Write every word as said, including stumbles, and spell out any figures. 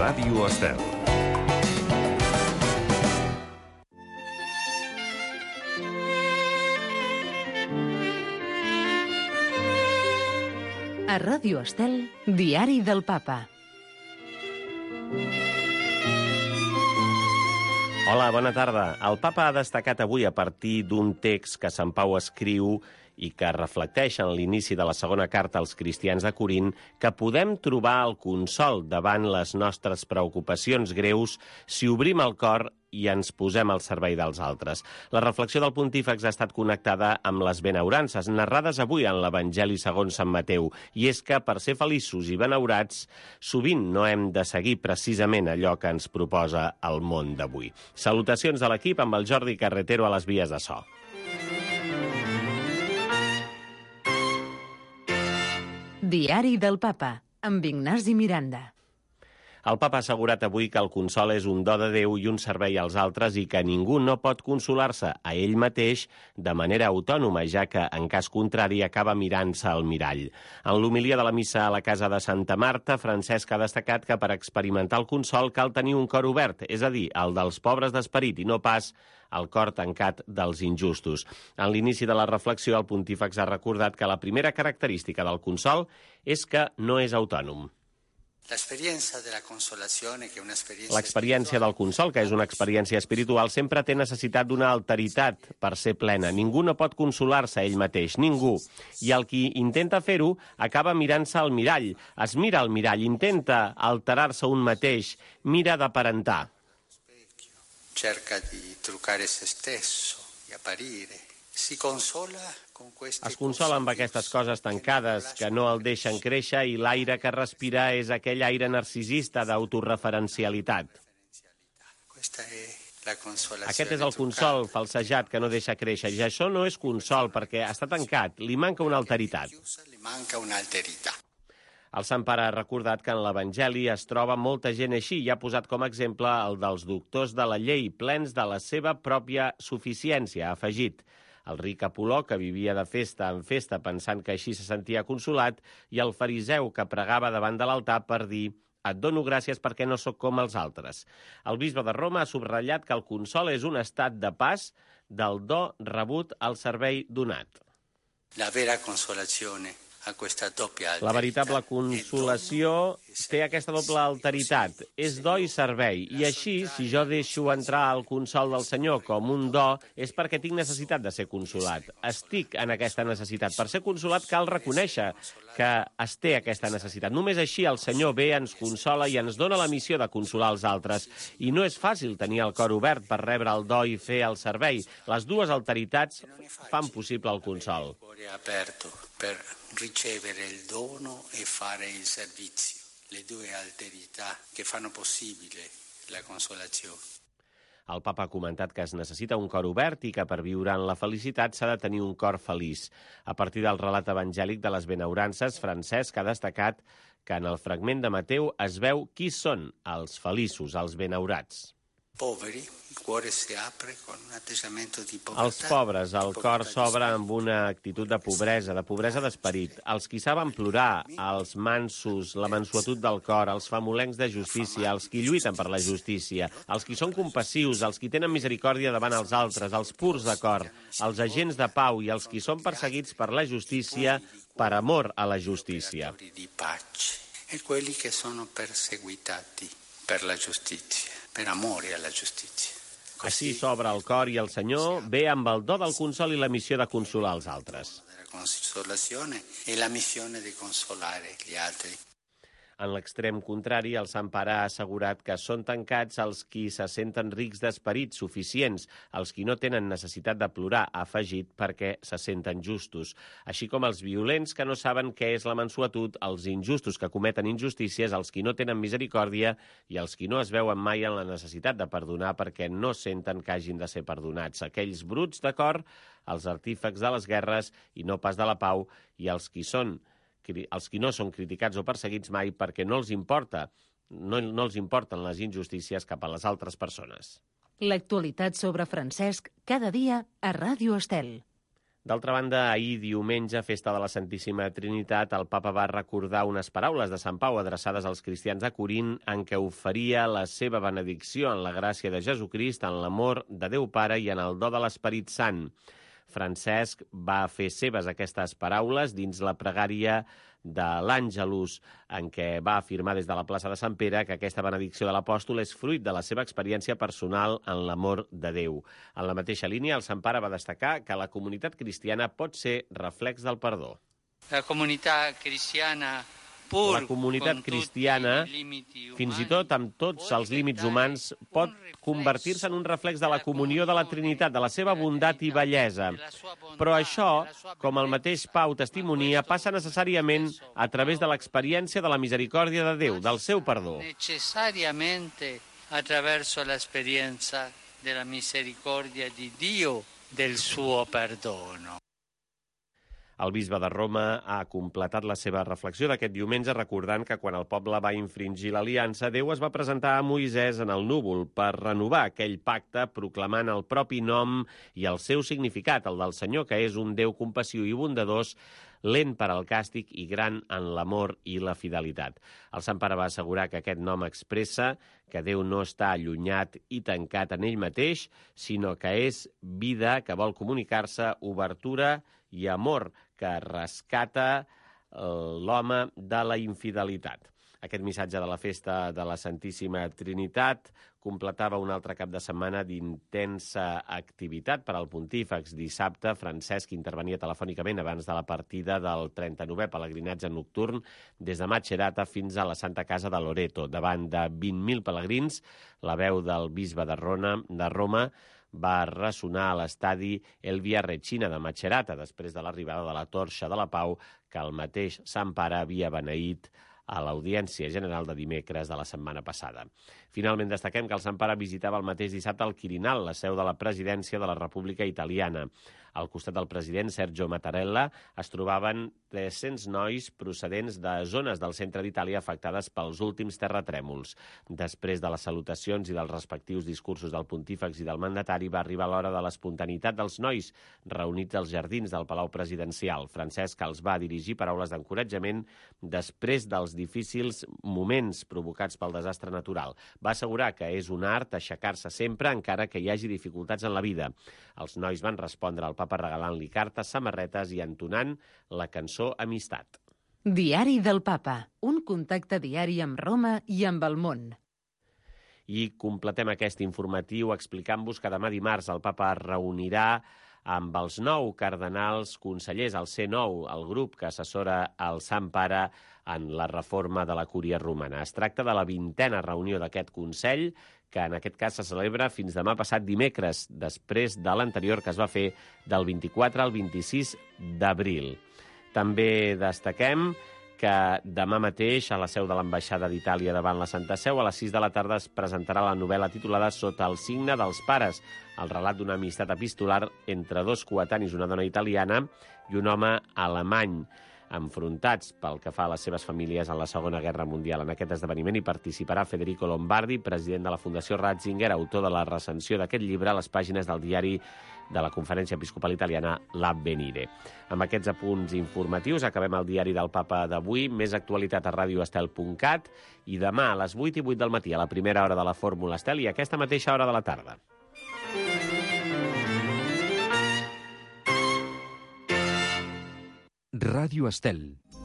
Ràdio Estel. A Ràdio Estel, Diari del Papa. Hola, bona tarda. El Papa ha destacat avui a partir d'un text que Sant Pau escriu i que reflecteix en l'inici de la segona carta als cristians de Corint que podem trobar el consol davant les nostres preocupacions greus si obrim el cor i ens posem al servei dels altres. La reflexió del pontífex ha estat connectada amb les benaurances narrades avui en l'Evangeli segons Sant Mateu, i és que per ser feliços i benaurats sovint no hem de seguir precisament allò que ens proposa el món d'avui. Salutacions de l'equip amb el Jordi Carretero a les vies de so. Diari del Papa, amb Ignasi Miranda. El Papa ha assegurat avui que el consol és un do de Déu i un servei als altres i que ningú no pot consolar-se a ell mateix de manera autònoma, ja que, en cas contrari, acaba mirant-se al mirall. En l'homilia de la missa a la casa de Santa Marta, Francesc ha destacat que per experimentar el consol cal tenir un cor obert, és a dir, el dels pobres d'esperit i no pas el cor tancat dels injustos. En l'inici de la reflexió, el pontífex ha recordat que la primera característica del consol és que no és autònom. L'experiència del consol, que és una experiència espiritual, sempre té necessitat d'una alteritat per ser plena. Ningú no pot consolar-se ell mateix, ningú. I el qui intenta fer-ho acaba mirant-se al mirall. Es mira al mirall, intenta alterar-se un mateix, mira d'aparentar. Cerca di trucare se stesso, di apparire. Si consola con queste Es consola amb aquestes coses tancades que no el deixen créixer i l'aire que respira és aquell aire narcisista d'autoreferencialitat. Aquest és el consol falsejat que no deixa créixer. I això no és consol perquè està tancat, li manca una alteritat. El Sant Pare ha recordat que en l'Evangeli es troba molta gent així i ha posat com a exemple el dels doctors de la llei, plens de la seva pròpia suficiència, ha afegit. El ric Apoló, que vivia de festa en festa pensant que així se sentia consolat, i el fariseu que pregava davant de l'altar per dir «Et dono gràcies perquè no sóc com els altres». El bisbe de Roma ha subratllat que el consol és un estat de pas del do rebut al servei donat. La vera consolazione. La veritable consolació té aquesta doble alteritat, és do i servei, i així, si jo deixo entrar el consol del Senyor com un do, és perquè tinc necessitat de ser consolat. Estic en aquesta necessitat. Per ser consolat cal reconèixer que es té aquesta necessitat. Només així el Senyor ve, ens consola i ens dona la missió de consolar els altres. I no és fàcil tenir el cor obert per rebre el do i fer el servei. Les dues alteritats fan possible el consol. Per ricevere il dono e fare il servizio, le due alterità che fanno possibile la consolazione. El Papa ha comentat que es necessita un cor obert i que per viure en la felicitat s'ha de tenir un cor feliç. A partir del relat evangèlic de les benaurances, Francesc ha destacat que en el fragment de Mateu es veu qui són els feliços, els benaurats. Poveri, il cuore si apre con un atteggiamento di povertà. Els pobres, el cor s'obre amb una actitud de pobresa, de pobresa d'esperit. Els qui saben plorar, els mansos, la mansuetud del cor, els famolencs de justícia, els qui lluiten per la justícia, els qui són compassius, els qui tenen misericòrdia davant els altres, els purs de cor, els agents de pau i els qui són perseguits per la justícia per amor a la justícia. E quelli che sono perseguitati per la giustizia. Per amore alla giustizia. Així s'obre el cor i el Senyor ve amb el do del consol i la missió de consolar els altres. La consolazione e la missione di consolare gli altri. En l'extrem contrari, el Sant Pare ha assegurat que són tancats els qui se senten rics d'esperit, suficients, els qui no tenen necessitat de plorar, ha afegit, perquè se senten justos. Així com els violents que no saben què és la mansuetud, els injustos que cometen injustícies, els qui no tenen misericòrdia i els qui no es veuen mai en la necessitat de perdonar perquè no senten que hagin de ser perdonats. Aquells bruts de cor, els artífecs de les guerres i no pas de la pau, i els qui són els qui no són criticats o perseguits mai perquè no els importa, no, no els importen les injustícies cap a les altres persones. L'actualitat sobre Francesc cada dia a Ràdio Estel. D'altra banda, ahir diumenge, festa de la Santíssima Trinitat, el papa va recordar unes paraules de Sant Pau adreçades als cristians a Corint en què oferia la seva benedicció en la gràcia de Jesucrist, en l'amor de Déu Pare i en el do de l'Esperit Sant. Francesc va fer seves aquestes paraules dins la pregària de l'Àngelus, en què va afirmar des de la plaça de Sant Pere que aquesta benedicció de l'apòstol és fruit de la seva experiència personal en l'amor de Déu. En la mateixa línia, el Sant Pare va destacar que la comunitat cristiana pot ser reflex del perdó. La comunitat cristiana, La comunitat cristiana, fins i tot amb tots els límits humans, pot convertir-se en un reflex de la comunió de la Trinitat, de la seva bondat i bellesa. Però això, com el mateix Pau testimonia, passa necessàriament a través de l'experiència de la misericòrdia de Déu, del seu perdó. Necessàriamente attraverso l'esperienza della misericordia di Dio, del suo perdono. El bisbe de Roma ha completat la seva reflexió d'aquest diumenge recordant que quan el poble va infringir l'aliança, Déu es va presentar a Moisès en el núvol per renovar aquell pacte proclamant el propi nom i el seu significat, el del Senyor, que és un Déu compassiu i bondadós, lent per al càstig i gran en l'amor i la fidelitat. El Sant Pare va assegurar que aquest nom expressa que Déu no està allunyat i tancat en ell mateix, sinó que és vida que vol comunicar-se, obertura i amor que rescata l'home de la infidelitat. Aquest missatge de la festa de la Santíssima Trinitat completava un altre cap de setmana d'intensa activitat per al pontífex. Dissabte, Francesc intervenia telefònicament abans de la partida del trenta-novè pelegrinatge nocturn des de Macerata fins a la Santa Casa de Loreto. Davant de vint mil pelegrins, la veu del bisbe de Roma, de Roma va ressonar a l'estadi El Via Regina de Macerata, després de l'arribada de la Torxa de la Pau, que el mateix Sant Pare havia beneït a l'Audiència General de dimecres de la setmana passada. Finalment, destaquem que el Sant Pare visitava el mateix dissabte el Quirinal, la seu de la presidència de la República Italiana. Al costat del president Sergio Mattarella es trobaven tres-cents nois procedents de zones del centre d'Itàlia afectades pels últims terratrèmols. Després de les salutacions i dels respectius discursos del pontífex i del mandatari, va arribar l'hora de l'espontaneïtat dels nois reunits als jardins del Palau Presidencial. Francesc els va dirigir paraules d'encoratjament després dels difícils moments provocats pel desastre natural. Va assegurar que és un art aixecar-se sempre encara que hi hagi dificultats en la vida. Els nois van respondre al papa regalant-li cartes, samarretes i entonant la cançó Amistat. Diari del Papa, un contacte diari amb Roma i amb el món. I completem aquest informatiu explicant-vos que demà dimarts el papa es reunirà amb els nou cardenals consellers, el C nou, el grup que assessora el Sant Pare en la reforma de la Cúria Romana. Es tracta de la vintena reunió d'aquest Consell, que en aquest cas se celebra fins demà passat dimecres, després de l'anterior que es va fer del vint-i-quatre al vint-i-sis d'abril. També destaquem que demà mateix a la seu de l'Ambaixada d'Itàlia davant la Santa Seu a les sis de la tarda es presentarà la novel·la titulada Sota el signe dels pares, el relat d'una amistat epistolar entre dos coetanis, una dona italiana i un home alemany, enfrontats pel que fa a les seves famílies en la Segona Guerra Mundial. En aquest esdeveniment hi participarà Federico Lombardi, president de la Fundació Ratzinger, autor de la recensió d'aquest llibre a les pàgines del diari de la Conferència Episcopal Italiana L'Avvenire. Amb aquests apunts informatius acabem el diari del Papa d'avui. Més actualitat a radio estel punt cat i demà a les vuit i vuit del matí a la primera hora de la Fórmula Estel i a aquesta mateixa hora de la tarda. Ràdio Estel.